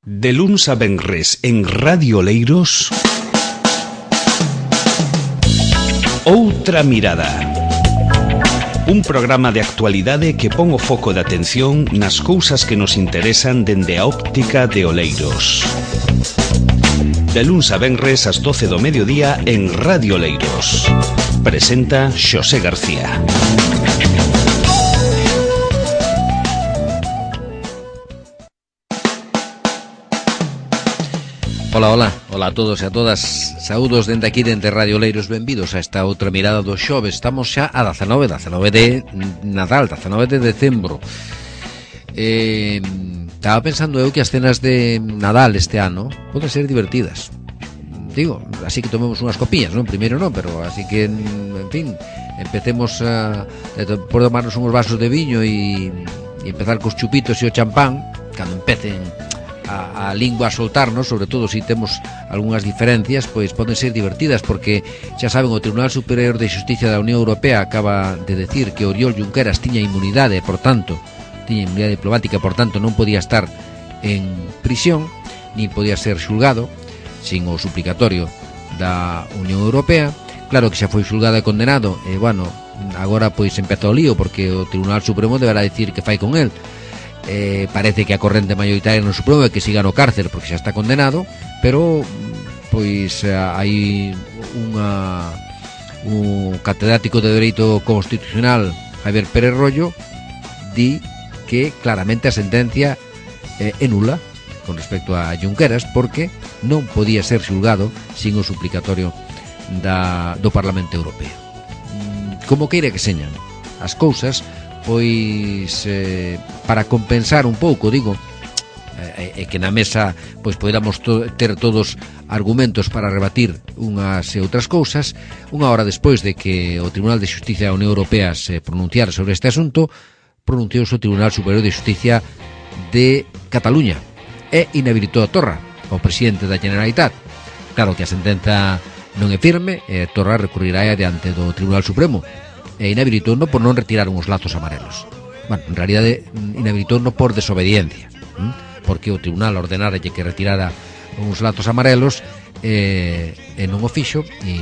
De luns a venres en Radio Oleiros, Outra Mirada. Un programa de actualidade que pon o foco de atención nas cousas que nos interesan dende a óptica de Oleiros. De luns a venres ás 12 do mediodía en Radio Oleiros. Presenta Xosé García. Ola a todos e a todas. Saúdos dende aquí, dende Radio Oleiros. Benvidos a esta outra mirada do xoves. Estamos xa a 19 de Nadal, 19 de decembro. Estaba pensando eu que as cenas de Nadal este ano poden ser divertidas. Digo, así que tomemos unhas copillas, non? Primeiro non, pero así que, en fin, empecemos por tomarnos uns vasos de viño e empezar cos chupitos e o champán. Cando empecen a lingua a soltarnos, sobre todo se temos algunhas diferencias, pois poden ser divertidas, porque xa saben, o Tribunal Superior de Xusticia da Unión Europea acaba de decir que Oriol Junqueras tiña inmunidade, por tanto, tiña inmunidade diplomática, por tanto non podía estar en prisión, nin podía ser xulgado sin o suplicatorio da Unión Europea. Claro que xa foi xulgado e condenado, e bueno, agora pois empeza o lío, porque o Tribunal Supremo deberá decir que fai con el. Parece que a corrente mayoritaria no Supremo é que siga no cárcel porque xa está condenado, pero pois hai un catedrático de Dereito Constitucional, Javier Pérez Rollo, di que claramente a sentencia é nula con respecto a Junqueras, porque non podía ser xulgado sin o suplicatorio do Parlamento Europeo. Como queira que señan as cousas, pois para compensar un pouco, digo, que na mesa pois podamos ter todos argumentos para rebatir unhas e outras cousas. Unha hora despois de que o Tribunal de Xusticia da Unión Europea se pronunciara sobre este asunto, pronunciouse o Tribunal Superior de Xusticia de Cataluña e inhabilitou a Torra, o presidente da Generalitat. Claro que a sentenza non é firme, e Torra recurrirá adiante do Tribunal Supremo, e inhabilitouno por non retirar uns lazos amarelos. Bueno, en realidade inhabilitouno por desobediencia, porque o tribunal ordenara que retirara uns lazos amarelos e non o fixo, e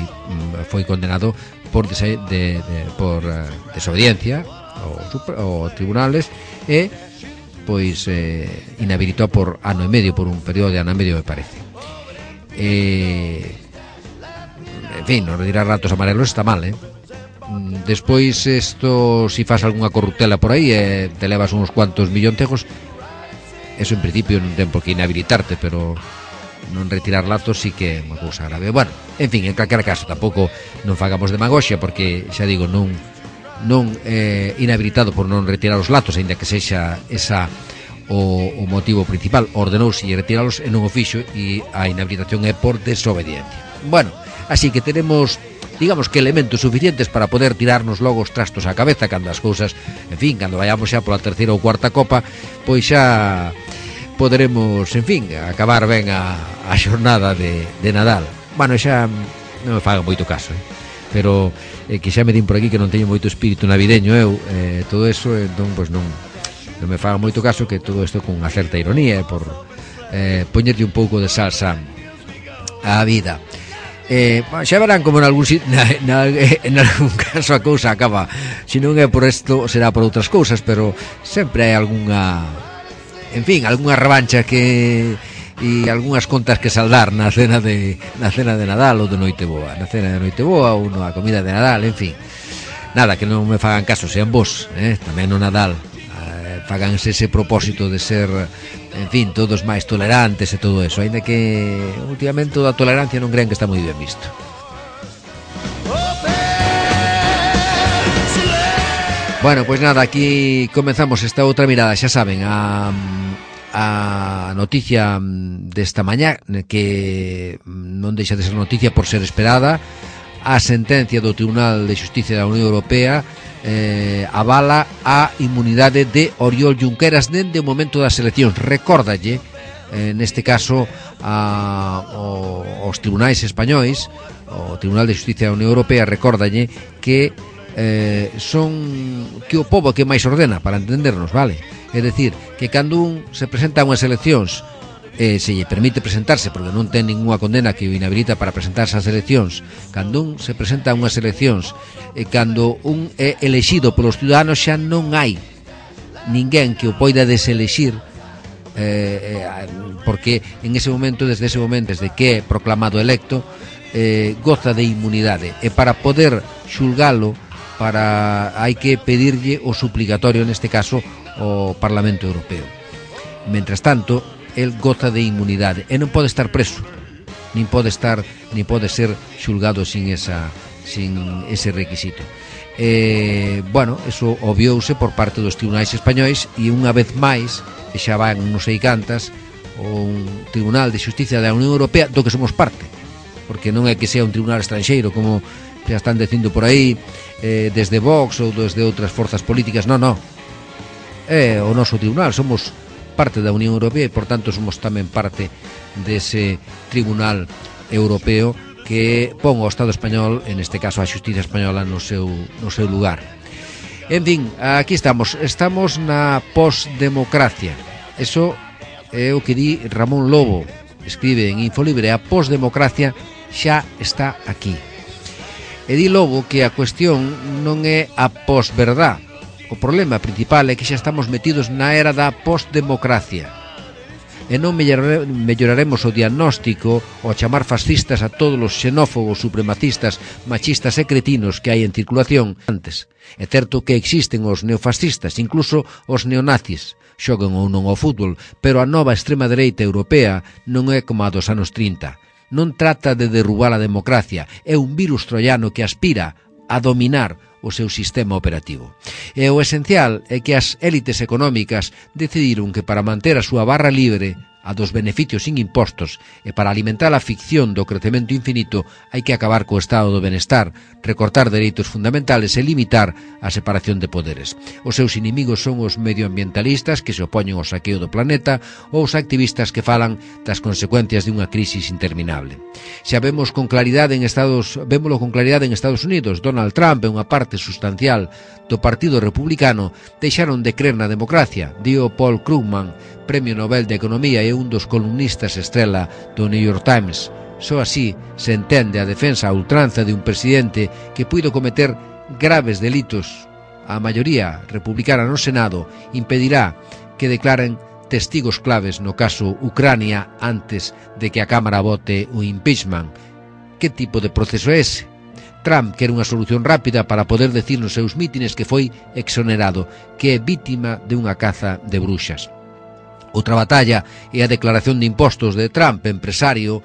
foi condenado por desobediencia ao tribunales, e pois inhabilitou por ano e medio, por un período de ano e medio, me parece. En fin, non retirar lazos amarelos está mal, Despois, isto, si faz algunha corruptela por aí e te levas uns cuantos millontejos, eso en principio non ten por que inhabilitarte, pero non retirar lazos sí que é unha cousa grave. Bueno, en fin, en calquera caso, tampouco non fagamos demagoxia, porque, xa digo, non inhabilitado por non retirar os lazos, aínda que sexa esa o motivo principal. Ordenouse retiralos e non o fixo, e a inhabilitación é por desobediencia. Bueno, así que tenemos, digamos que elementos suficientes para poder tirarnos logo os trastos á cabeza cando as cousas, en fin, cando vayamos xa pola terceira ou cuarta copa, pois xa poderemos, en fin, acabar ben a xornada de Nadal. Bueno, xa non me faga moito caso, pero que xa me din por aquí que non teño moito espírito navideño eu, todo eso, entón, pois non me faga moito caso, que todo isto con unha certa ironía, por poñerlle un pouco de salsa á vida. Xa verán como en algún caso a cousa acaba, se non é por isto será por outras cousas, pero sempre hai algunha, en fin, algunha revancha e algunhas contas que saldar na cena de Nadal ou de Noiteboa, na cena de Noiteboa ou na comida de Nadal, en fin. Nada, que non me fagan caso, sean vos, tamén no Nadal, faganse ese propósito de ser, en fin, todos máis tolerantes e todo eso, aínda que últimamente a tolerancia non crean que está moi ben visto. Bueno, pois nada, aquí comenzamos esta outra mirada, xa saben, a noticia desta mañá, que non deixa de ser noticia por ser esperada. A sentencia do Tribunal de Xusticia da Unión Europea avala a inmunidade de Oriol Junqueras dende o momento das eleccións. Recórdalle, neste caso, aos tribunais españois, o Tribunal de Xusticia da Unión Europea recórdalle que que o pobo que máis ordena, para entendernos, vale? É dicir, que cando un se presenta a unhas eleccións se lle permite presentarse porque non ten ninguna condena que o inhabilita para presentarse ás eleccións, cando un se presenta a unhas eleccións e cando un é elexido polos ciudadanos, xa non hai ninguén que o poida deselexir, porque en ese momento, desde que é proclamado electo, goza de inmunidade, e para poder xulgalo hai que pedirlle o suplicatorio, neste caso o Parlamento Europeo. Mentras tanto, el goza de inmunidade e non pode estar preso, nin pode ser xulgado sin ese requisito. Bueno, eso obviouse por parte dos tribunais españois, e unha vez máis, que xa van non sei cantas, un Tribunal de Xusticia da Unión Europea do que somos parte, porque non é que sea un tribunal estranxeiro como xa están dicindo por aí, desde Vox ou desde outras forzas políticas. Non, é o noso tribunal, somos parte da Unión Europea e, por tanto, somos tamén parte dese Tribunal Europeo que pon ao Estado español, en este caso a Xustiza española, no seu lugar. En fin, aquí estamos na posdemocracia. Eso é o que di Ramón Lobo, escribe en Infolibre: a posdemocracia xa está aquí. E di Lobo que a cuestión non é a posverdad. O problema principal é que xa estamos metidos na era da postdemocracia e non melloraremos o diagnóstico ao chamar fascistas a todos os xenófobos, supremacistas, machistas e cretinos que hai en circulación antes. É certo que existen os neofascistas, incluso os neonazis, xogan ou non ao fútbol, pero a nova extrema dereita europea non é como a dos anos 30. Non trata de derrubar a democracia, é un virus troiano que aspira a dominar o seu sistema operativo. E o esencial é que as élites económicas decidiron que para manter a súa barra libre, a dos beneficios sin impostos, e para alimentar a ficción do crecemento infinito, hai que acabar co estado do benestar, recortar dereitos fundamentales e limitar a separación de poderes. Os seus inimigos son os medioambientalistas que se opoñen ao saqueo do planeta ou os activistas que falan das consecuencias de unha crisis interminable. Xa vémolo con claridade en Estados Unidos. Donald Trump e unha parte sustancial do Partido Republicano deixaron de crer na democracia, dio Paul Krugman, Premio Nobel de Economía e un dos columnistas estrela do New York Times. Só así se entende a defensa a ultranza de un presidente que puido cometer graves delitos. A maioría republicana no Senado impedirá que declaren testigos claves no caso Ucrania antes de que a Cámara vote o impeachment. Que tipo de proceso é ese? Trump quere unha solución rápida para poder decir nos seus mítines que foi exonerado, que é vítima de unha caza de bruxas. Outra batalla é a declaración de impostos do Trump empresario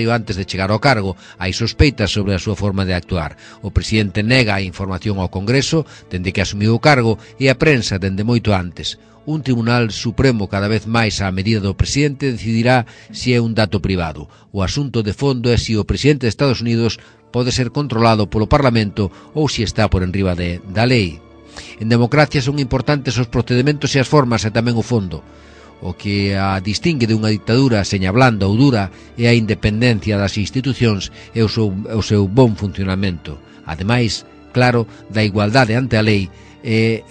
antes de chegar ao cargo. Hai sospeitas sobre a súa forma de actuar. O presidente nega a información ao Congreso dende que asumiu o cargo e a prensa dende moito antes. Un tribunal supremo cada vez máis á medida do presidente decidirá se é un dato privado. O asunto de fondo é se o presidente de Estados Unidos pode ser controlado polo Parlamento ou se está por enriba da lei. En democracia son importantes os procedementos e as formas e tamén o fondo. O que a distingue de unha dictadura, seña blanda ou dura, é a independencia das institucións e o seu bon funcionamento. Ademais, claro, da igualdade ante a lei e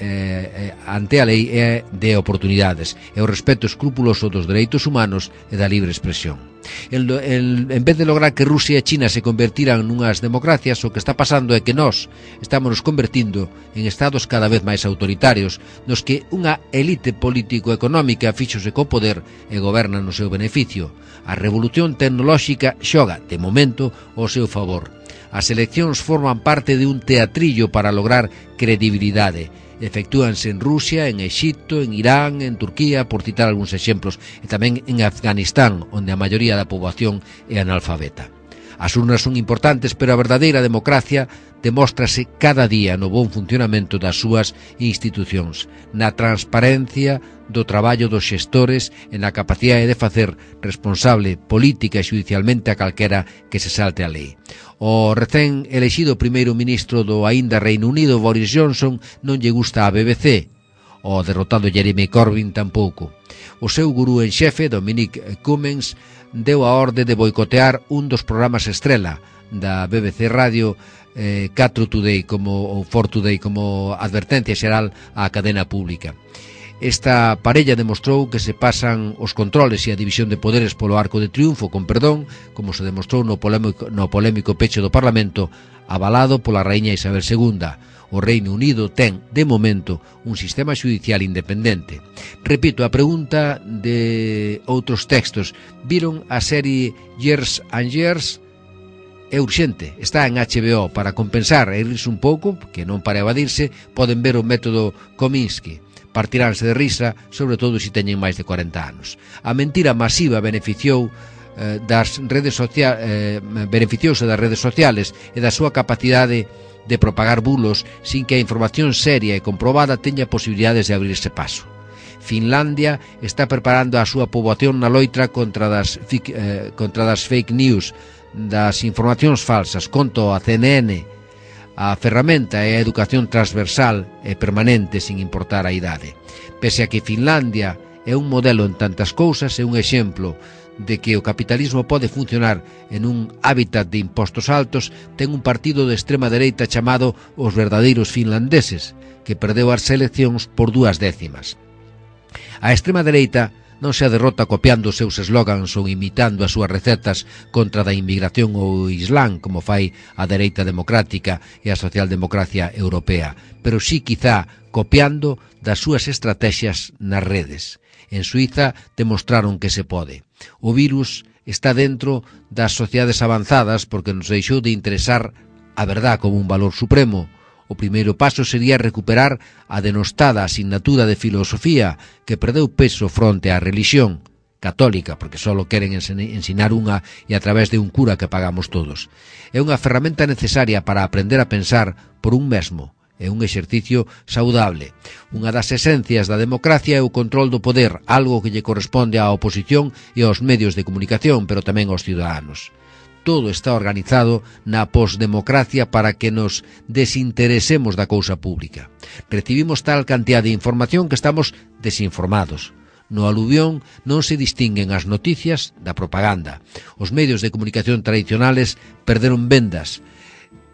de oportunidades e o respeto escrupuloso dos dereitos humanos e da libre expresión. En vez de lograr que Rusia e China se convertiran nunhas democracias, o que está pasando é que nós estamos nos convertindo en estados cada vez máis autoritarios, nos que unha elite político-económica fíxose co poder e goberna no seu beneficio. A revolución tecnolóxica xoga, de momento, ao seu favor. As eleccións forman parte de un teatrillo para lograr credibilidade. Efectúanse en Rusia, en Exipto, en Irán, en Turquía, por citar algúns exemplos, e tamén en Afganistán, onde a maioría da poboación é analfabeta. As urnas son importantes, pero a verdadeira democracia demóstrase cada día no bon funcionamento das súas institucións, na transparencia do traballo dos xestores e na capacidade de facer responsable política e xudicialmente a calquera que se salte a lei. O recén elexido primeiro ministro do aínda Reino Unido, Boris Johnson, non lle gusta a BBC. O derrotado Jeremy Corbyn tampouco. O seu gurú en xefe, Dominic Cummings, deu a orde de boicotear un dos programas estrela da BBC Radio, 4 Today ou 4 Today, como advertencia xeral á cadena pública. Esta parella demostrou que se pasan os controles e a división de poderes polo arco de triunfo, con perdón, como se demostrou no polémico peche do Parlamento, avalado pola raíña Isabel II. O Reino Unido ten, de momento, un sistema judicial independente. Repito, a pregunta de outros textos. Viron a serie Years and Years? É urxente, está en HBO. Para compensar e rirse un pouco, que non para evadirse, poden ver o método Kominsky. Partiránse de risa, sobre todo se teñen máis de 40 anos. A mentira masiva beneficiouse das redes sociales e da súa capacidade de propagar bulos sin que a información seria e comprobada teña posibilidades de abrirse paso. Finlandia está preparando a súa poboación na loitra contra das fake news, das informacións falsas. Conto a CNN. A ferramenta é a educación transversal e permanente sin importar a idade. Pese a que Finlandia é un modelo en tantas cousas, é un exemplo de que o capitalismo pode funcionar en un hábitat de impostos altos, ten un partido de extrema dereita chamado os verdadeiros finlandeses, que perdeu as eleccións por 2 décimas. A extrema dereita non se derrota copiando os seus eslogans ou imitando as súas recetas contra da inmigración ou o Islán, como fai a dereita democrática e a socialdemocracia europea, pero sí quizá copiando das súas estrategias nas redes. En Suiza demostraron que se pode. O virus está dentro das sociedades avanzadas porque nos deixou de interesar a verdad como un valor supremo. O primeiro paso sería recuperar a denostada asignatura de filosofía que perdeu peso fronte á religión católica, porque só queren ensinar unha e a través de un cura que pagamos todos. É unha ferramenta necesaria para aprender a pensar por un mesmo. É un exercicio saudable. Unha das esencias da democracia é o control do poder, algo que lle corresponde á oposición e aos medios de comunicación, pero tamén aos ciudadanos. Todo está organizado na posdemocracia para que nos desinteresemos da cousa pública. Recibimos tal cantidad de información que estamos desinformados. No aluvión non se distinguen as noticias da propaganda. Os medios de comunicación tradicionales perderon vendas,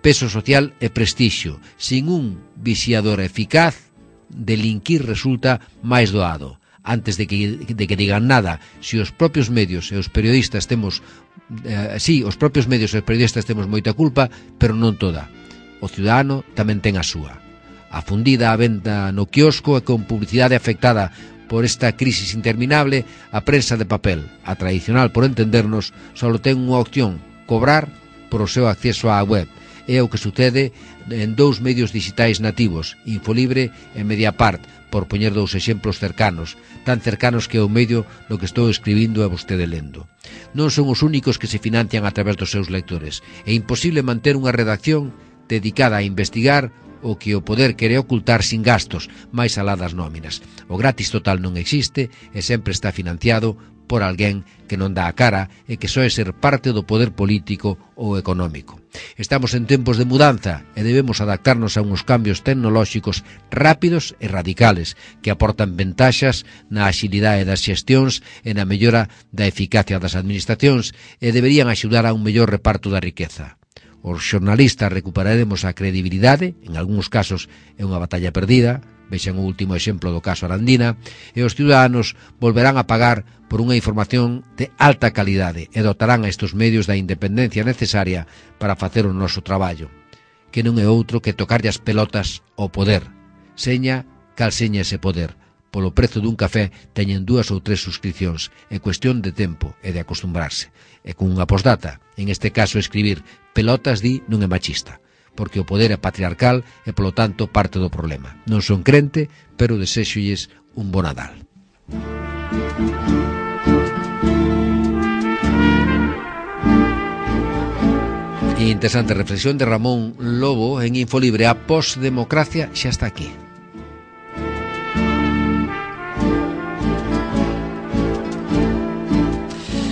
peso social e prestixio. Sin un vixiador eficaz, delinquir resulta máis doado. Antes de que digan nada, se os propios medios e os periodistas temos moita culpa, pero non toda. O ciudadano tamén ten a súa. A fundida a venda no quiosco e con publicidade afectada por esta crisis interminable, a prensa de papel, a tradicional por entendernos, só ten unha opción: cobrar por o seu acceso á web. É o que sucede en 2 medios digitais nativos, Infolibre e Mediapart, por poñer 2 exemplos cercanos, tan cercanos que é o medio no que estou escribindo e vostede lendo. Non son os únicos que se financian a través dos seus lectores. É imposible manter unha redacción dedicada a investigar o que o poder quere ocultar sin gastos, máis alá das nóminas. O gratis total non existe e sempre está financiado por alguén que non dá a cara e que só é ser parte do poder político ou económico. Estamos en tempos de mudanza e debemos adaptarnos a uns cambios tecnolóxicos rápidos e radicales que aportan ventaxas na axilidade das xestións e na mellora da eficacia das administracións e deberían axudar a un mellor reparto da riqueza. Os xornalistas recuperaremos a credibilidade, en algúns casos é unha batalla perdida, vexan o último exemplo do caso Arandina, e os ciudadanos volverán a pagar por unha información de alta calidade e dotarán a estes medios da independencia necesaria para facer o noso traballo, que non é outro que tocarlle as pelotas ao poder. Seña cal seña ese poder. Polo prezo dun café teñen 2 ou 3 suscripcións. É cuestión de tempo e de acostumbrarse. E con unha postdata, en este caso escribir pelotas di non é machista, porque o poder é patriarcal e, polo tanto, parte do problema. Non son crente, pero desexolles un bo Nadal. Interesante reflexión de Ramón Lobo en Infolibre. A posdemocracia xa está aquí.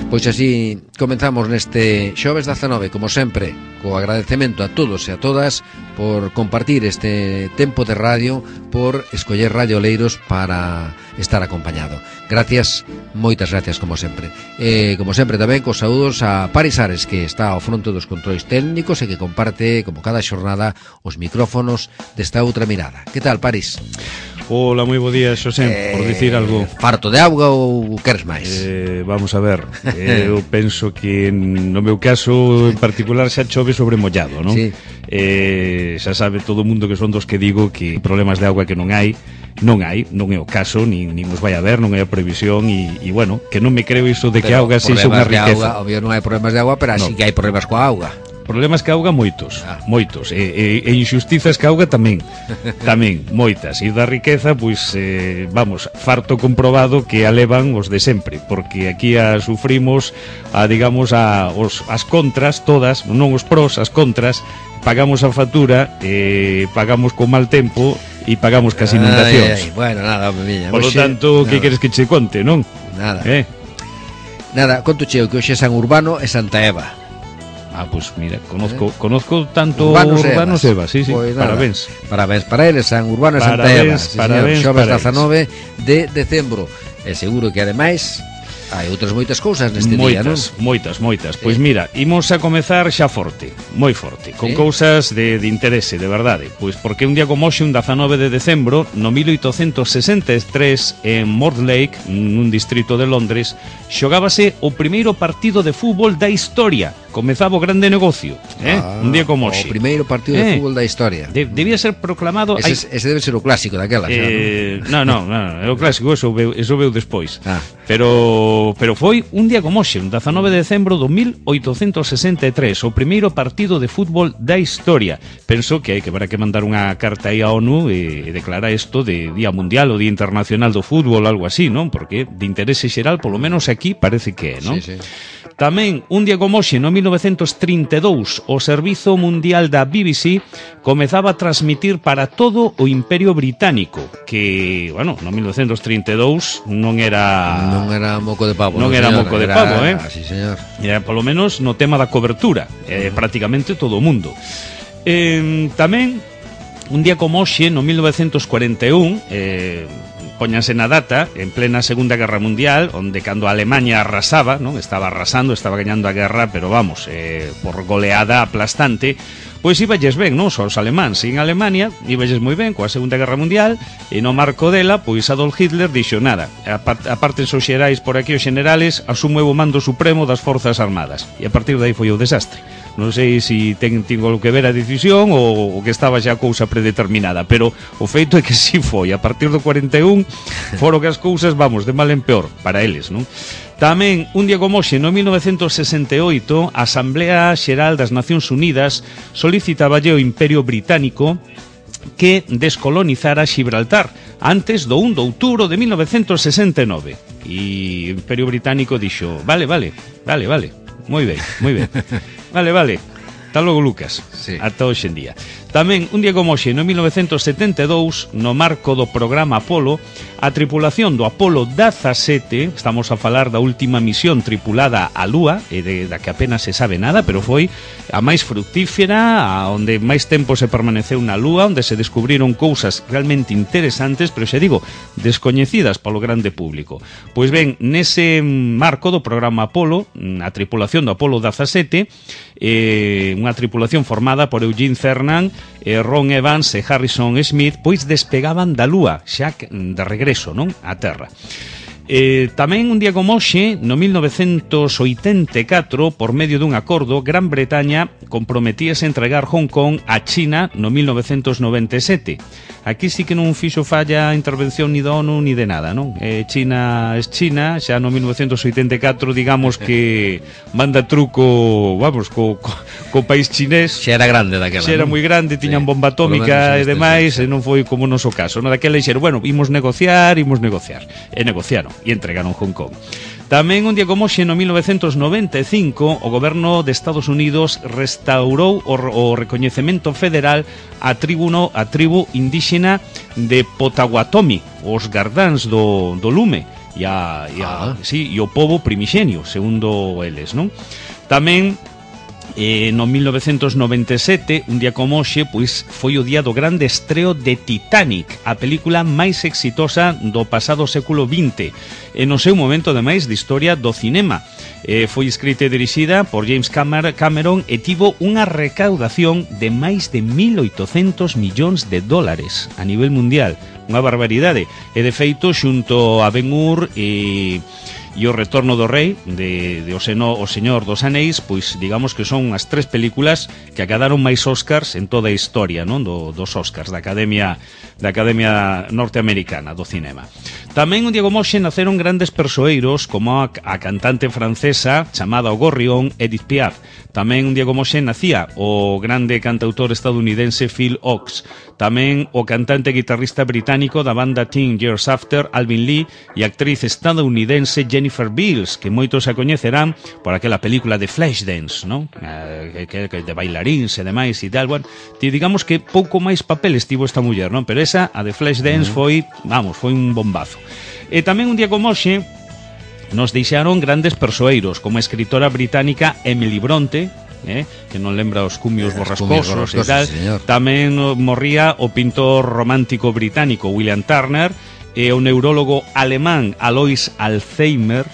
Pois así comenzamos neste xoves 19, como sempre, co agradecemento a todos e a todas por compartir este tempo de radio, por escoller Radio Oleiros para estar acompañado. Gracias, moitas gracias como sempre. E como sempre tamén cos saúdos a Paris Ares, que está ao fronte dos controis técnicos e que comparte, como cada xornada, os micrófonos desta outra mirada. Que tal, Paris? Ola, moi bo día, Xosé, por dicir algo. Farto de auga ou queres máis? Vamos a ver, eu penso que no meu caso en particular xa chove sobre mollado, non? Sí. Xa sabe todo o mundo que son dos que digo que problemas de auga que non hai, non é o caso, nin os vai haber, non hai a previsión e bueno, que non me creo iso de que a auga sexa unha riqueza. Obvio non hai problemas de auga, pero así que hai problemas coa auga. Problemas que auga moitos, moitos, e injustizas que auga tamén, moitas, e da riqueza, pois, vamos, farto comprobado que a levan os de sempre, porque aquí a sufrimos, digamos, as contras todas, non os pros, as contras, pagamos a factura, pagamos con mal tempo, e pagamos cas inundacións. Bueno, nada, miña. Por lo tanto, que queres que che conte, non? Nada. Nada, conto cheo que hoxe é San Urbano e Santa Eva. Pues mira, conozco tanto Urbanos e Eva, sí, pues parabéns. Parabéns para eles, San Urbano e Santa Eva, sí, parabéns, xoves 19 de decembro. E seguro que ademais hai outras moitas cousas neste día, non? Moitas. Pois mira, imos a comezar xa forte, moi forte, con cousas de interese, de verdade. Pois porque un día como hoxe, un 19 de decembro, no 1863, en Mortlake, nun distrito de Londres, xogábase o primeiro partido de fútbol da historia. Comezaba o grande negocio, un día como hoxe. O primeiro partido de fútbol da historia. Debía ser proclamado... Ese debe ser o clásico daquela, non, é o clásico, eso veu despois. Pero foi un día como hoxe, un 19 de decembro do 1863, o primeiro partido de fútbol da historia. Penso que hai que mandar unha carta aí á ONU e declarar isto de Día Mundial ou Día Internacional do Fútbol, algo así, non? Porque de interese xeral, polo menos aquí, parece que é, non? Sí. Tamén, un día como hoxe, no 1932, o Servizo Mundial da BBC comezaba a transmitir para todo o Imperio Británico, que, bueno, no 1932 non era moco de pavo. Non era moco de pavo, Sí, señor. Era, polo menos, no tema da cobertura, prácticamente todo o mundo. Tamén, un día como hoxe, no 1941, póñanse na data, en plena Segunda Guerra Mundial, onde cando a Alemania arrasaba, non? Estaba arrasando, estaba gañando a guerra, pero vamos, por goleada aplastante, pois iballes ben, non só os alemáns, en Alemania iballes moi ben coa Segunda Guerra Mundial, e no marco dela, pois Adolf Hitler dixo nada, aparte os xerais por aquí, os generales, asumo o mando supremo das Forzas Armadas, e a partir de aí foi o desastre. Non sei se ten algo que ver a decisión ou que estaba xa a cousa predeterminada, pero o feito é que si foi. A partir do 41 foron que as cousas, vamos, de mal en peor para eles, non? Tamén, un día como hoxe, no 1968, a Asamblea Xeral das Nacións Unidas solicitaballe ao Imperio Británico que descolonizara Xibraltar antes do 1 de outubro de 1969. E o Imperio Británico dixo, vale, moi ben. Vale. Hasta logo, Lucas. Sí. Ata hoxe en día. Tamén, un día como hoxe, no 1972, no marco do programa Apolo, a tripulación do Apolo 17, estamos a falar da última misión tripulada á Lúa, e da que apenas se sabe nada, pero foi a máis fructífera, a onde máis tempo se permaneceu na Lúa, onde se descubriron cousas realmente interesantes, pero xa digo, descoñecidas polo grande público. Pois ben, nese marco do programa Apolo, a tripulación do Apolo 17, unha tripulación formada por Eugene Cernan, Ron Evans e Harrison Smith, pois despegaban da Lúa, xa de regreso, non? A Terra. Tamén un día como hoxe, no 1984, por medio dun acordo, Gran Bretaña comprometíase a entregar Hong Kong a China no 1997. Aquí sí que non fixo falla a intervención ni da ONU ni de nada, non? China es China, xa no 1984 digamos que manda truco, vamos, co país chinés. Xa era grande daquela. Xa era moi grande, tiñan bomba atómica e demais, e non foi como o noso caso. No daquela dixeron, bueno, imos negociar, e negociaron, e entregaron Hong Kong. Tamén un día como hoxe, no 1995, o goberno de Estados Unidos restaurou o recoñecemento federal a tribu indígena de Potawatomi, os gardáns do lume, e o pobo primixenio, segundo eles, non? Tamén No 1997, un día como hoxe, pois foi o día do grande estreo de Titanic, a película máis exitosa do pasado século XX, e no seu momento, ademais, de historia do cinema. Foi escrita e dirixida por James Cameron e tivo unha recaudación de máis de 1.800 millóns de dólares a nivel mundial, unha barbaridade. E de feito, xunto a Ben-Hur e o Retorno do Rei o Señor dos Anéis, pois digamos que son as tres películas que acadaron máis Oscars en toda a historia, non, dos Oscars da Academia Norteamericana do Cinema. Tamén un día como hoxe naceron grandes persoeiros como a cantante francesa chamada O Gorrión, Edith Piaf. Tamén un día como hoxe nacía o grande cantautor estadounidense Phil Ochs. Tamén o cantante e guitarrista británico da banda Teen Years After, Alvin Lee, e a actriz estadounidense Jennifer Beals, que moitos a coñecerán por aquela película de Flashdance, non? Que de bailaríns e demais e tal. Bueno, digamos que pouco máis papeles tivo esta muller, non? Pero esa, a de Flashdance, foi un bombazo. E tamén un día como hoxe nos deixaron grandes persoeiros, como a escritora británica Emily Bronte, que non lembra os cumios borrascosos e tal. Señor. Tamén morría o pintor romántico británico William Turner e o neurólogo alemán Alois Alzheimer,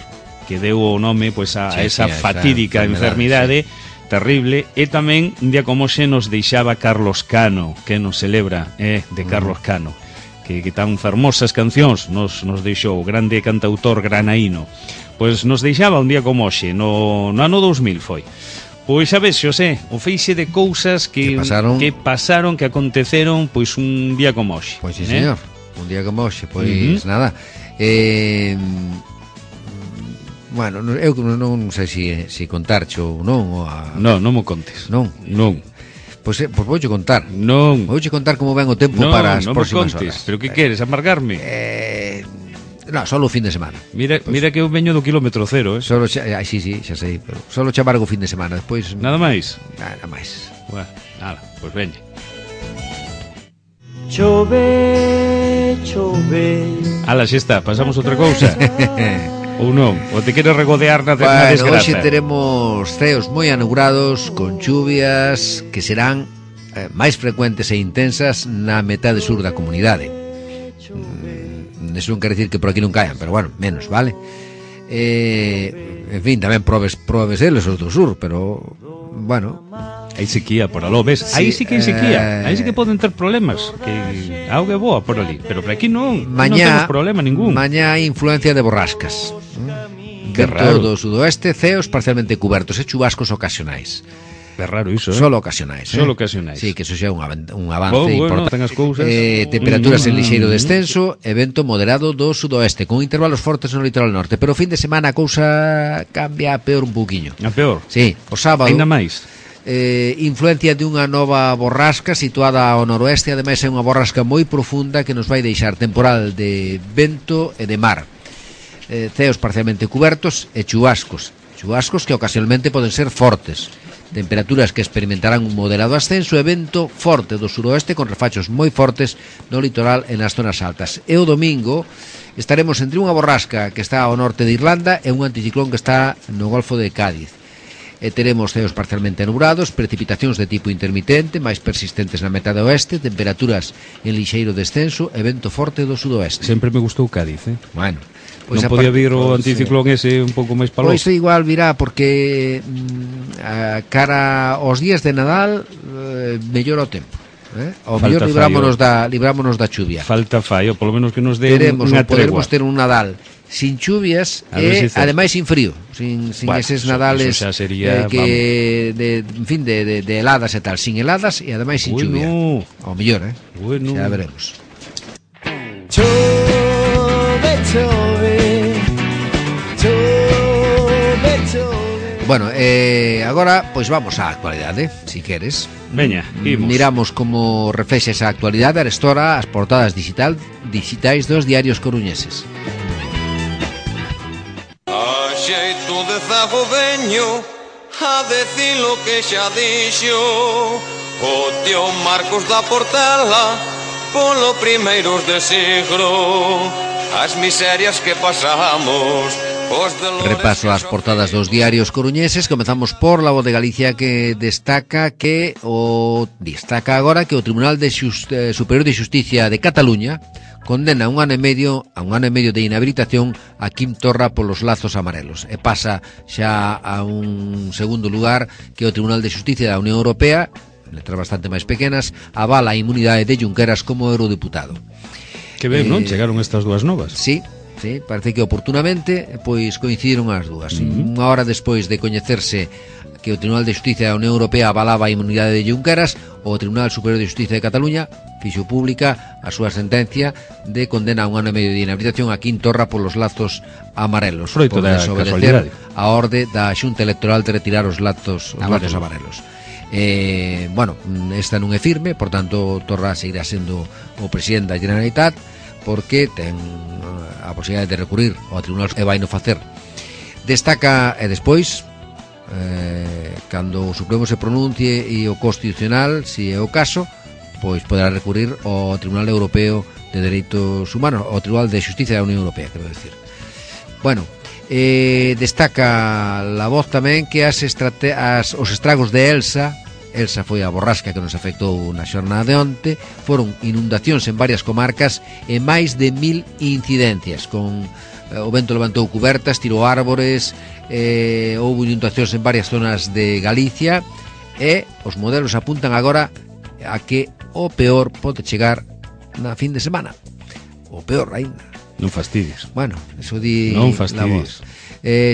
que deu o nome pois, a esa fatídica enfermidade terrible. E tamén un día como xe nos deixaba Carlos Cano, que nos celebra de Carlos Cano, que tan fermosas cancións nos deixou, o grande cantautor granaíno. Pois nos deixaba un día como hoxe, no ano 2000 foi. Pois a ves, Xosé, o feixe de cousas que pasaron, que aconteceron pois un día como hoxe. Pois sí, señor, un día como hoxe, pois nada. Bueno, eu non sei se contarche ou non. Non mo contes. Non. Pois vouche contar. Non. Vouche contar como ven o tempo para as próximas horas. Pero que queres, amargarme? No, solo o fin de semana. Mira que eu veño do kilómetro cero, Solo sí, xa sei, pero solo che amargo o fin de semana, despois nada máis. Nada máis. Bueno, nada, pois veña. Chove. Ala, xa está, pasamos outra cousa. Ou non, ou te queres regodear na desgraza? Hoxe teremos ceos moi anugrados, con chuvias que serán máis frecuentes e intensas na metade sur da comunidade. Eso non quer dicir que por aquí non caian, pero bueno, menos, vale? En fin, tamén probes eles os do sur, pero bueno, hai sequía por aló, ves? Sí, aí sí que hai sequía, aí sí que poden ter problemas, que a auga é boa por ali, pero por aquí non temos problema ningún. Mañá hai influencia de borrascas. Que raro. Do sudoeste, ceos parcialmente cubertos e chubascos ocasionais. É raro iso, Solo ocasionais. Solo ocasionais. Sí, que eso xa é un avance importante. Ten as cousas. Temperaturas en lixeiro descenso e vento moderado do sudoeste, con intervalos fortes no litoral norte. Pero o fin de semana a cousa cambia a peor un pouquiño. A peor? Sí, o sábado. Ainda máis. Influencia de unha nova borrasca situada ao noroeste. Ademais é unha borrasca moi profunda que nos vai deixar temporal de vento e de mar. Ceos parcialmente cubertos e chubascos que ocasionalmente poden ser fortes. Temperaturas que experimentarán un moderado ascenso e vento forte do suroeste con refachos moi fortes no litoral e nas zonas altas. E o domingo estaremos entre unha borrasca que está ao norte de Irlanda e un anticiclón que está no Golfo de Cádiz. E teremos ceos parcialmente nubrados, precipitacións de tipo intermitente, máis persistentes na metade oeste, temperaturas en lixeiro descenso e vento forte do sudoeste. Sempre me gustou Cádiz, Bueno, pois non podía vir o anticiclón ese un pouco máis paloso. Pois igual virá porque cara aos días de Nadal mellora o tempo. Ao mellor librámonos da chuvia. Falta fallo, polo menos que nos dé unha tregua. Poderemos ter un Nadal sin chuvias e ademais sin frío, sin eses Nadales sería, en fin, de heladas e tal, sin heladas e ademais sin chuvia. Ao mellor, bueno. Xa veremos. Bueno, agora pois vamos á actualidade, si queres. Veña, imos. Miramos como reflexa esa actualidade arestora as portadas digitais dos diarios coruñeses. A xeito de zago veño a decir lo que xa dixo o tío Marcos da Portela polo primeiros de siglo. As miserias que pasamos Repaso as portadas dos diarios coruñeses. Comezamos por La Voz de Galicia, que destaca agora que o Tribunal Superior de Xusticia de Cataluña condena a un ano e medio de inhabilitación a Quim Torra polos lazos amarelos, e pasa xa a un segundo lugar, que o Tribunal de Xusticia da Unión Europea, letras bastante máis pequenas, avala a inmunidade de Junqueras como eurodeputado. Que ben, non? Chegaron estas dúas novas. Sí, parece que oportunamente pois coincidiron as dúas. Unha hora despois de coñecerse que o Tribunal de Xusticia da Unión Europea avalaba a inmunidade de Junqueras, o Tribunal Superior de Xusticia de Cataluña fixo pública a súa sentencia de condena a un ano e medio de inhabilitación a Quim Torra polos lazos amarelos, Froito por desobedecer a orde da Xunta Electoral de retirar os lazos amarelos. Esta non é firme, por tanto Torra seguirá sendo o presidente da Generalitat, porque ten a posibilidade de recurrir ao Tribunal e vai no facer. Destaca, e despois cando o Supremo se pronuncie e o Constitucional, se é o caso, pois poderá recurrir ao Tribunal Europeo de Dereitos Humanos, ao Tribunal de Xusticia da Unión Europea, quero decir. Destaca La Voz tamén que os estragos de Elsa foi a borrasca que nos afectou na xornada de onte, foron inundacións en varias comarcas e máis de 1000 incidencias, con o vento levantou cubertas, tirou árbores, houve inundacións en varias zonas de Galicia, e os modelos apuntan agora a que o peor pode chegar na fin de semana. O peor ainda. Non fastidies. Bueno, eso di non La Voz.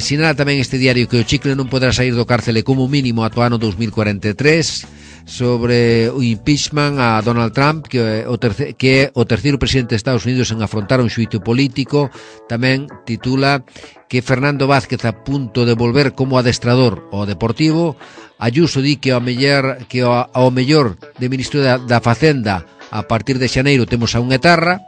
Sinala tamén este diario que o chicle non poderá sair do cárcele como mínimo ata o ano 2043, sobre o impeachment a Donald Trump, que é o terceiro presidente de Estados Unidos en afrontar un xuízo político. Tamén titula que Fernando Vázquez a punto de volver como adestrador ao Deportivo. Ayuso di que ao mellor de ministro da Facenda a partir de xaneiro temos a un etarra.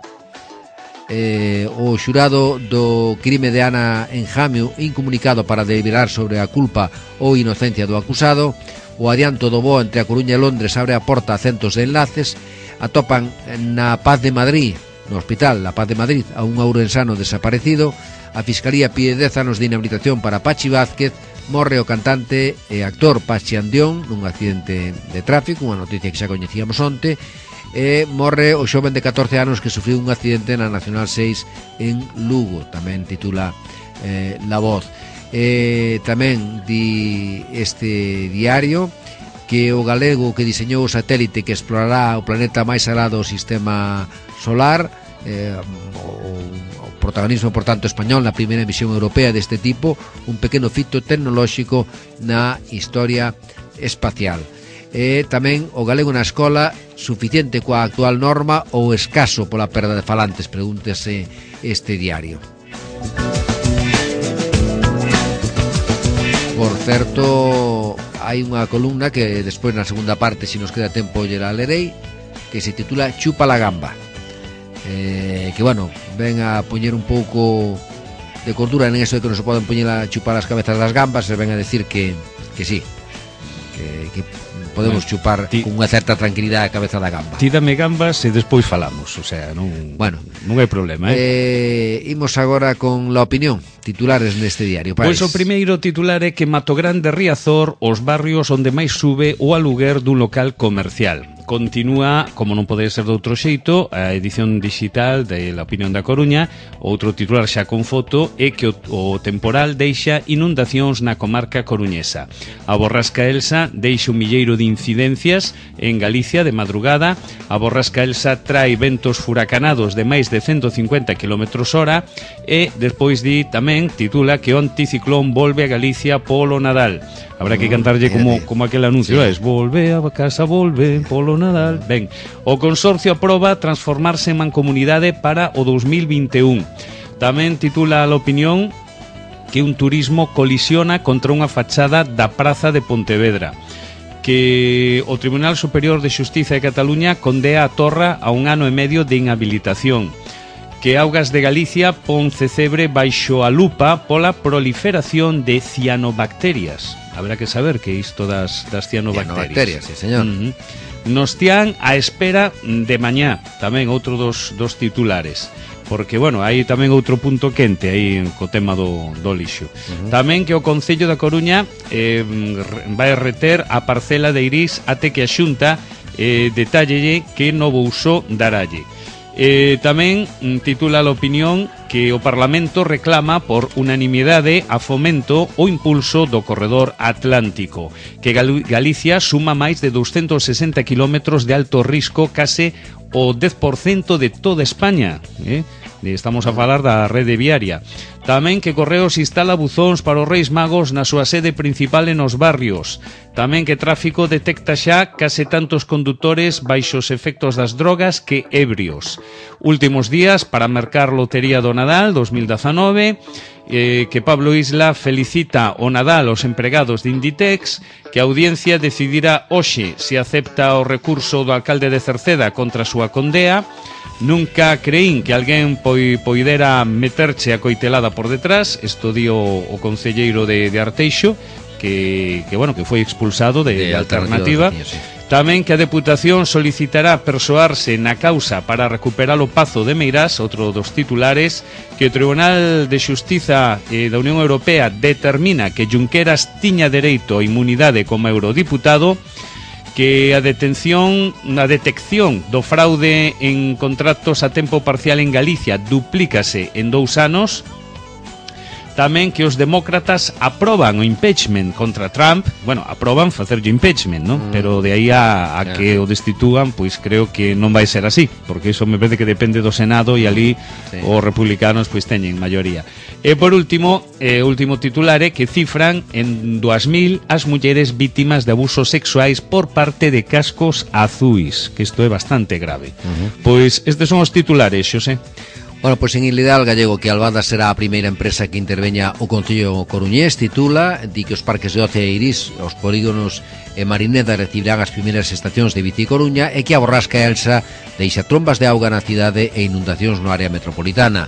O xurado do crime de Ana Enjamio incomunicado para deliberar sobre a culpa ou inocencia do acusado. O adianto do voo entre a Coruña e Londres abre a porta a centos de enlaces. Atopan na Paz de Madrid, no hospital La Paz de Madrid, a un ourensano desaparecido. A Fiscalía pide 10 anos de inhabilitación para Pachi Vázquez. Morre o cantante e actor Pachi Andión nun accidente de tráfico, unha noticia que xa coñecíamos onte. E morre o xoven de 14 anos que sufriu un accidente na Nacional 6 en Lugo, tamén titula La Voz. Tamén di este diario que o galego que diseñou o satélite que explorará o planeta máis alado do sistema solar, o protagonismo, por tanto, español na primeira misión europea deste tipo, un pequeno fito tecnolóxico na historia espacial. Tamén o galego na escola, suficiente coa actual norma ou escaso pola perda de falantes, pregúntese este diario. Por certo, hai unha columna que despois na segunda parte, se nos queda tempo, lle la lerei, que se titula Chupa la gamba, que ven a poñer un pouco de cordura en eso de que non se poden poñer a chupar as cabezas das gambas, e ven a decir que sí, que podemos chupar con unha certa tranquilidade a cabeza da gamba. Ti dame gambas e despois falamos, o sea, non hai problema, Imos agora con la opinión, titulares neste diario. Pois o primeiro titular é que Matogrande Riazor, os barrios onde máis sube o aluguer dun local comercial. Continúa, como non pode ser de outro xeito, a edición digital de La Opinión da Coruña. Outro titular xa con foto é que o temporal deixa inundacións na comarca coruñesa. A borrasca Elsa deixa un milleiro de incidencias en Galicia de madrugada. A borrasca Elsa trae ventos furacanados de máis de 150 km/h e despois titula que o anticiclón volve a Galicia polo Nadal. Habrá que cantarlle como aquel anuncio, sí. Volve a casa, volve polo Nadal. Ben, o Consorcio aproba transformarse en mancomunidade para o 2021. Tamén titula a Opinión que un turismo colisiona contra unha fachada da Praza de Pontevedra. Que o Tribunal Superior de Xustiza de Cataluña condea a Torra a un ano e medio de inhabilitación. Que Augas de Galicia pon Cecebre baixo a lupa pola proliferación de cianobacterias. Habrá que saber que isto das cianobacterias. Sí, señor. Nos tían a espera de mañá, tamén outro dos titulares. porque, bueno, hai tamén outro punto quente aí co tema do lixo. Tamén que o Concello da Coruña vai reter a parcela de Irís até que a Xunta detállelle que novo uso daralle. Tamén titula a opinión que o Parlamento reclama por unanimidade a fomento o impulso do corredor atlántico, que Galicia suma máis de 260 kilómetros de alto risco, case o 10% de toda España, Estamos a falar da rede viaria. Tamén que Correos instala buzóns para os Reis Magos na súa sede principal e nos barrios. Tamén que Tráfico detecta xa case tantos condutores baixo os efectos das drogas que ebrios. Últimos días para mercar Lotería do Nadal 2019, que Pablo Isla felicita o Nadal aos empregados de Inditex, que a audiencia decidirá hoxe se acepta o recurso do alcalde de Cerceda contra a súa condea. Nunca creín que alguén poidera meterche a coitelada por detrás. Isto dio o concelleiro de Arteixo, que foi expulsado de Alternativa. Tamén que a Deputación solicitará persoarse na causa para recuperar o Pazo de Meirás, outro dos titulares, que o Tribunal de Xustiza da Unión Europea determina que Junqueras tiña dereito a inmunidade como eurodiputado, que a detección do fraude en contratos a tempo parcial en Galicia duplícase en 2 anos. Tamén que os demócratas aproban o impeachment contra Trump. Bueno, aproban facerlle impeachment, non? Pero de aí a que o destituan, pois creo que non vai ser así, porque iso me parece que depende do Senado e ali os republicanos pois teñen maioría. E por último, último titular é que cifran en 2000 as mulleres vítimas de abusos sexuais por parte de cascos azuis, que isto é bastante grave. Pois estes son os titulares, Xosé. Bueno, pois en Ilidal Gallego que Albada será a primeira empresa que interveña o Concello Coruñés, titula, di que os parques de Oce e Irís, os polígonos e Marineda recibirán as primeiras estacións de Vici Coruña e que a Borrasca Elsa deixa trombas de auga na cidade e inundacións no área metropolitana.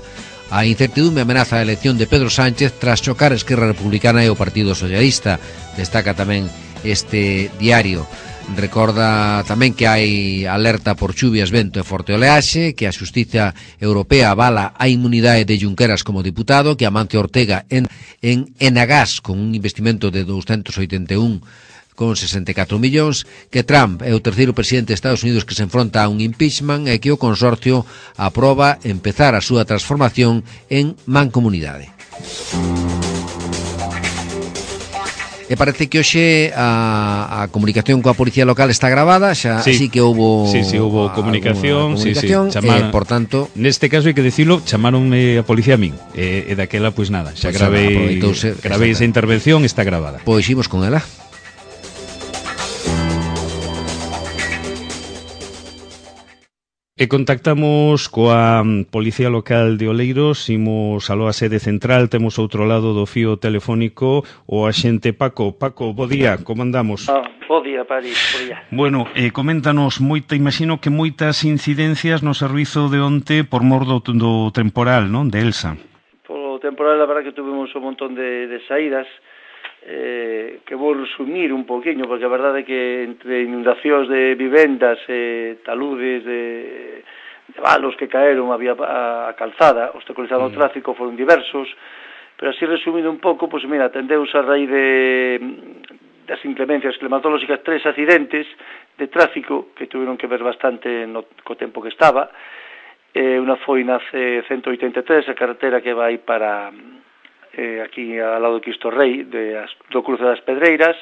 A incertidume amenaza a elección de Pedro Sánchez tras chocar Esquerra Republicana e o Partido Socialista. Destaca tamén este diario. Recorda tamén que hai alerta por chuvias, vento e forte oleaxe, que a Xustiza Europea avala a inmunidade de Junqueras como diputado, que Amancio Ortega en Enagás con un investimento de 281,64 millóns, que Trump é o terceiro presidente de Estados Unidos que se enfronta a un impeachment e que o consorcio aproba empezar a súa transformación en mancomunidade. E parece que hoxe a comunicación coa policía local está gravada, xa así que houbo houbo comunicación, por tanto, neste caso hai que dicilo, chamaronme a policía a min, e daquela pois nada, xa gravei esa intervención, está gravada. Pois imos con ela. E contactamos coa Policía Local de Oleiros, imos aló a sede central, temos outro lado do fío telefónico o axente Paco. Paco, bo día, como andamos? Bo día, París, bo día. Bueno, coméntanos imagino que moitas incidencias no servizo de onte por mor do temporal, non? De Elsa. Por temporal, a verdad que tuvimos un montón de saídas, que vou resumir un poquinho, porque a verdade é que entre inundacións de vivendas, taludes de valos que caeron, había a calzada, obstaculizando o tráfico, foron diversos, pero así resumindo un pouco, pois mira, atendeus a raíz das inclemencias climatolóxicas 3 accidentes de tráfico que tuveron que ver bastante co tempo que estaba. Unha foi na C183, a carretera que vai para aquí ao lado do Cristo Rei, do cruce das Pedreiras,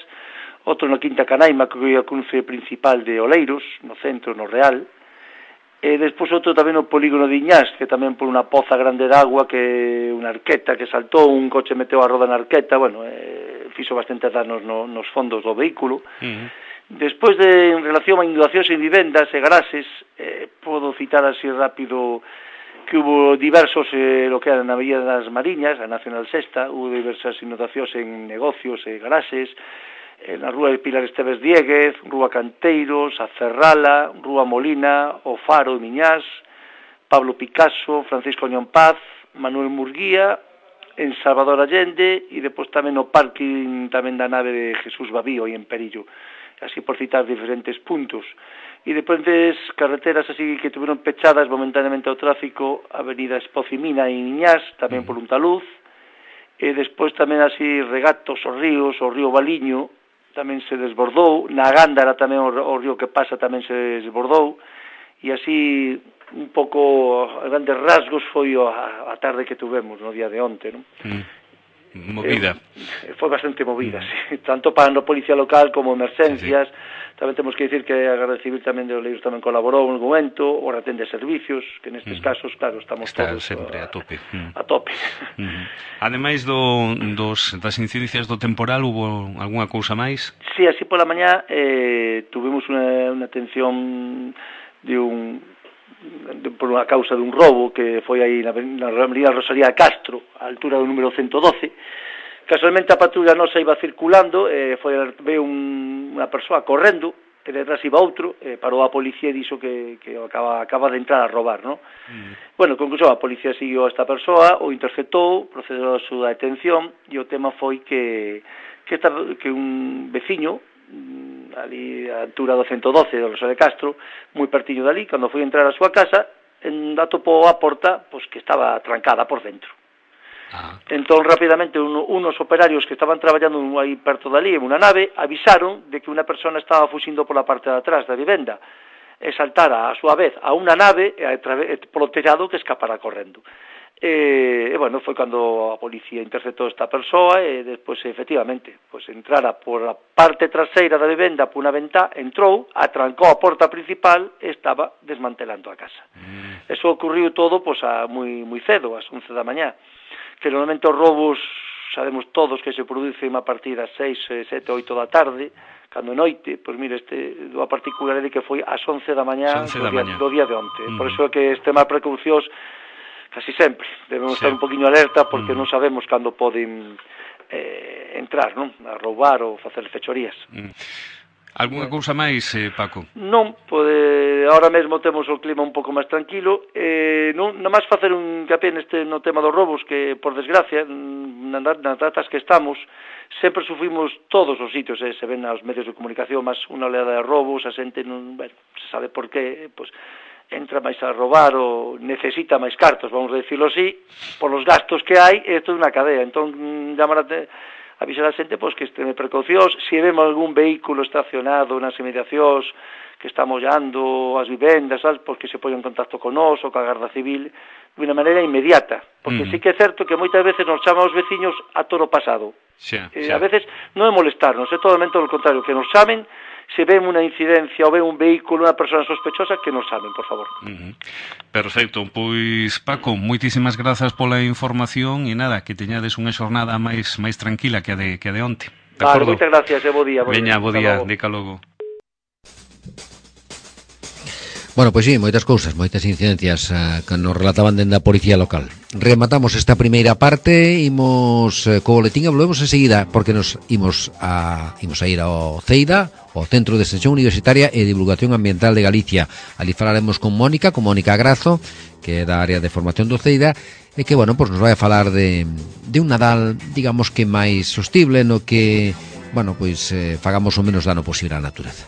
outro na Quinta Canaima, que é o cruce principal de Oleiros, no centro, no Real, e despois outro tamén no polígono de Iñás, que tamén por unha poza grande de agua, que unha arqueta que saltou, un coche meteu a roda na arqueta, bueno, fixo bastante danos nos fondos do vehículo. Despois en relación a inundacións en vivendas e garaxes, podo citar así rápido que hubo diversos, lo que era na Avenida das Mariñas, a Nacional Sexta, hubo diversas inundacións en negocios e garaxes, na Rúa de Pilar Esteves Dieguez, Rúa Canteiros, a Ferrala, Rúa Molina, o Faro de Miñás, Pablo Picasso, Francisco Ñón Paz, Manuel Murguía, en Salvador Allende, e depois tamén no parking tamén da nave de Jesús Babío, aí en Perillo, así por citar diferentes puntos. e diferentes carreteras así que tuveron pechadas momentáneamente ao tráfico, a avenida Espocimina en Iñás, tamén por un taluz, e despois tamén así regatos os ríos, o río Valiño tamén se desbordou, na Gándara tamén o río que pasa tamén se desbordou, e así un pouco a grandes rasgos foi a tarde que tuvemos no día de onte, non? Movida. Foi bastante movida, sí. Tanto para a policía local como emerxencias. Tamén temos que dicir que a Garda Civil tamén de Oleiros tamén colaborou en algún momento, o retén de servicios, que nestes casos, claro, estamos está todos sempre a tope. A tope. Ademais das incidencias do temporal, hubo algunha cousa máis? Sí, así pola mañá tuvimos unha atención por unha causa dun robo que foi aí na Avenida Rosalía de Castro, a altura do número 112. Casualmente a patrulla nosa iba circulando, veo unha persoa correndo, e detrás iba outro, parou a policía e dixo que acaba de entrar a robar, non? Bueno, conclusión, a policía siguió a esta persoa, o interceptou, procedeu a súa detención, e o tema foi que un veciño, ali a altura do 112 do Rosalía de Castro, moi pertiño dali, cando foi entrar a súa casa, atopou a porta pois que estaba trancada por dentro. Entón, rapidamente, unos operarios que estaban traballando aí perto dali, en unha nave, avisaron de que unha persona estaba fuxindo pola parte de atrás da vivenda e saltara a súa vez a unha nave e polo tellado que escapara correndo. E bueno, foi cando a policía interceptou esta persoa e despois, efectivamente, pois entrara por a parte traseira da vivenda por unha ventá, entrou, atrancou a porta principal e estaba desmantelando a casa. Eso ocurriu todo pois moi cedo, ás 11 da mañá, que normalmente os robos sabemos todos que se producen a partir das 6, 7, 8 da tarde, cando noite, pois mire, a particularidade que foi ás 11 da mañá do día de onte. Por iso é que este máis precaucións casi sempre debemos estar un poquinho alerta porque non sabemos cando poden entrar, non? A roubar ou facer fechorías. Algúnha cousa máis, Paco? Non, ahora mesmo temos o clima un pouco máis tranquilo, non máis facer un hincapié no tema dos robos, que, por desgracia, nas datas que estamos, sempre sufrimos todos os sitios, se ven aos medios de comunicación, máis unha oleada de robos, a xente non, se sabe por qué, pois, entra máis a robar ou necesita máis cartos, vamos a decirlo así, por os gastos que hai, é toda unha cadea. Entón, avisar a xente pois que estén precaucións, se vemos algún vehículo estacionado nas inmediacións que está mollando as vivendas, pois que se poña en contacto con nós ou coa Garda Civil de unha maneira inmediata, porque sí que é certo que moitas veces nos chaman os veciños a toro pasado. A veces non é molestarnos, é totalmente o contrario, que nos chamen se ven unha incidencia ou ven un vehículo, unha persona sospechosa, que nos chamen, por favor. Perfecto, pois Paco, moitísimas grazas pola información e nada, que teñades unha xornada máis tranquila que a de onte. Vale, moitas gracias, bo día. Veña, bo día, dica logo. Bueno, pois sí, moitas cousas, moitas incidencias que nos relataban dende a policía local. Rematamos esta primeira parte, imos co boletín e volvemos enseguida, porque nos imos a ir ao CEIDA, o Centro de Extensión Universitaria e Divulgación Ambiental de Galicia. Ali falaremos con Mónica Grazo, que é da área de formación do CEIDA, e que, bueno, pois nos vai a falar de un Nadal, digamos que máis sostible, no que, bueno, pois fagamos o menos dano posible á natureza.